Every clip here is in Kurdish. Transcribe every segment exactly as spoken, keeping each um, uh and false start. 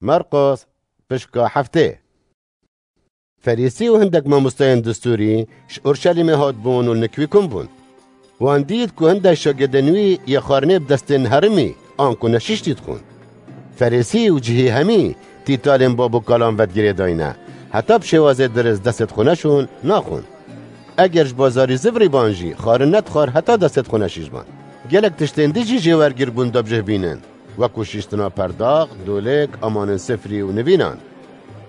Marqos, pişka heftê. Ferîsî û hindek mamosteyên distûrî ji Urşelîmê hatbûn û li nikwî kum bûn. Wan dît ku hindek şagirdên wî yê xwarinê bi destên herimî anku neşiştî dixwin. Ferîsî û cihî hemî tîtalên bab û kalan vedigirêdayne. Heta bi şêwazê dirist destê dixwine şûn, naxwin. Eger ji bazarî zivirî ban jî, xwarin nedixwar heta destê dixwine şîş ban. Gelek tiştên dî jî jê wergir bûn da bi cih bînin, wekû şîştina perdax, dolik, amanên sifrî û nivînan.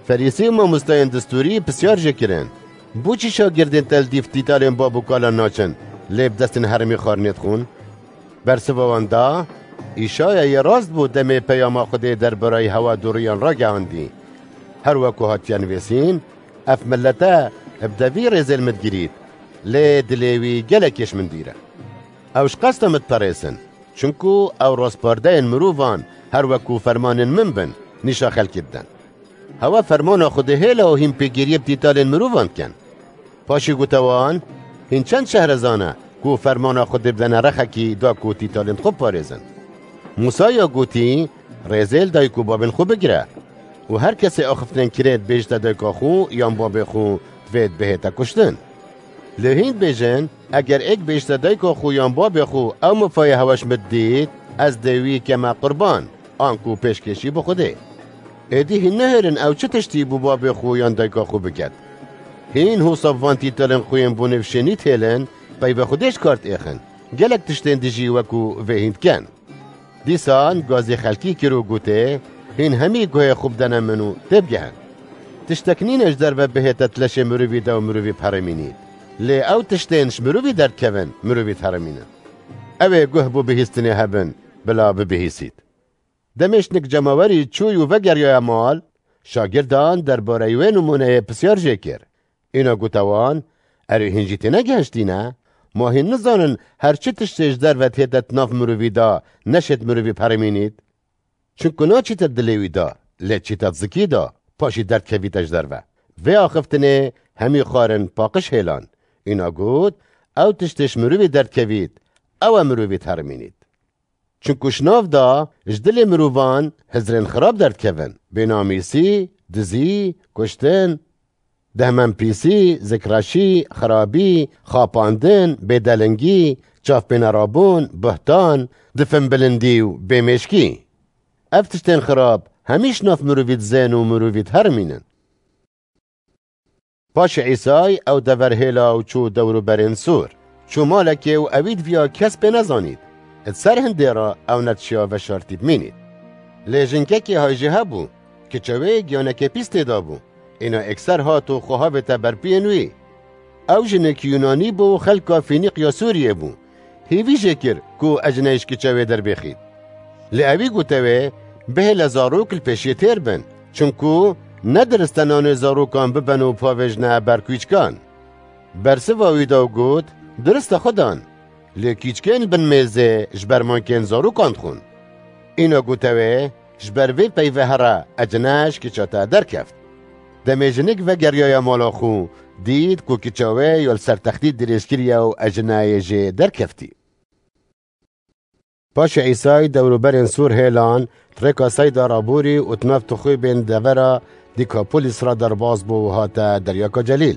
Ferîsî û mamosteyên distûrî pisyar jê kirin, bo çi şagirdên te li dîf tîtalên bab û kalan naçin, lê bi destên herimî xwarinê dixwin? Bersiva wan da, Îşaya yê rast bû demê peyama Xwedê derbareyî hewa dûriyan ragihandî. Her wekû hatiye nivîsîn, ev milete bi devî rêzên min digirît, lê dilê wî gelekî ji min dûr e. Ew ji qesta min diperêsin, çinku ew rastpardeyên mirovan her wekû fermanên min bin, nîşa xelkê didin. Hewa fermana Xwedê hêla û hîn pêgiriyê bi tîtalên mirovan dikin. Paşî gote wan, Hîn çend şehrezan e ku fermana Xwedê bidene rexekî da ku tîtalên xwe biparêzin? Mûsa ya gotî, Rêzê li dayik û babên xwe bigire û her kesê axiftinên kirêt bêjite dayika xwe yan babê xwe divêt bihête kuştin. Lê hîn dibêjin, Eger êk bêjite dayika xwe yan babê xwe ew mifayê hewa ji min dît, ez dê wî keme qurban, anku pêşkêşî bi Xwedê. Êdî hîn nehêlin ew çi tiştî bo babê xwe yan dayika xwe biket. Hîn hosa van tîtalên xwe yên bo nêv şênî dihêlin, peyvê Xwedê ji kar diêxin. Gelek tiştên dî jî wekû vê hîn dikin. Dîsan gazî xelkî kir û gotê, Hîn hemî guhê xwe bidene min û têbigehin. Tiştek nîne ji derve bihête di leşê mirovî de û mirovî biherêmînît. Lê ew tiştên ji mirovî derdikevin, mirovî diherêmînin. Ew ê guh bo bihîstinê hebin, bila bibihîsît. Demê jinik cemawerî çûy û vegeriyaye mal, şagirdan derbareyî wê nimûneyê pisyar jê kir. Îna gote wan, Erê hîn jî têne gihiştîne? Ma hîn nizanin her çi tiştê ji derve dihête di nav mirovî de neşêt mirovî biherêmînît? Çinku naçîte dilê wî de, lê çîte zikî de, paşî derdikevîte ji derve. Vê axiftinê hemî xwarin paqij hêlan. Îna got, Ew tiştê ji mirovî derdikevît, ew e mirovî diherêmînît. Çinku ji nav de ji dilê mirovan hizrên xirab derdikevin, bênamîsî, dizî, kuştin, dehmenpîsî, zikreşî, xirabî, xapandin, bêdelingî, çavpênerabûn, buhtan, difinbilindî û bêmêşkî. Ev tiştên xirab hemî ji nav mirovî dizên û mirovî diherimînin. Paşê Îsay ew dever hêla û çû dewrûberên Sûr. Çû malekê û ewî diviya kes pê nezanît. Di ser hindê re ew nedişiya veşartî bimînît. Lê jinkekê hay jê hebû, kiça wê giyanekê pîs tê de bû. Îna êkser hat û xwe havête ber piyên wî. Ew jinik Yûnanî bû û xelka Fînîqya Sûriyê bû. Hêvî jê kir ku ecneyê ji kiça wê derbêxît. Lê ewî gote wê, Bihêle zarok li pêşiyê têr bin, çinku ne dirist e nanê zarokan bibin û bavêjine ber kûçikan. Bersiva wî da û got, Dirist e xwedan, lê kîçkên li bin mêzê ji ber mankên zarokan dixwin. Îna gote wê, Ji ber vê peyve here ecine ji kiça te derkeft. Demê jinik vegeriyaye mala xwe, dît ku kiça wê ya li ser textî dirêj kiriye û ecineyê jê derkeftî. Paşê Îsay dewrûberên Sûr hêlan, di rêka Seyda re borî û di nav tixûbên devera Dîkapolîs re derbas bû û hate Deryaka Celîl.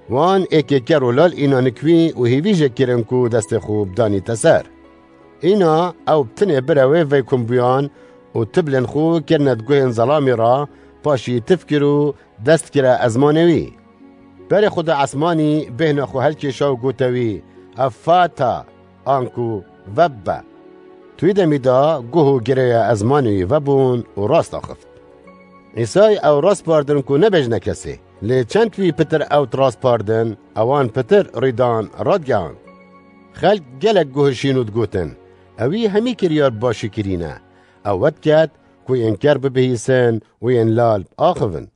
Wan êkê ker û lal îna nikwî û hêvî jê kirin ku destê xwe bidanîte ser. Îna ew bi tinê birewê vey kumbûyan û tiblên xwe kirine di guhên zelamî re, paşî tif kir û dest kire ezmanê wî. Berê xwe da esmanî, bêhna xwe helkêşa û gote wî, Efata, anku vebbe. Di wî demî de guh û girêya ezmanê wî vebûn û rast axift. Îsay ew rast bardin ku nebêjne kesê. Lê çend wî pitir ew rast bardin, ewan pitir rîdan radigihand. Xelk gelek guh şîn û digotin, Ewî hemî kiryar bi başî kirîne. Ew wet ket ku yên ker bibihîsin û yên lal biaxivin.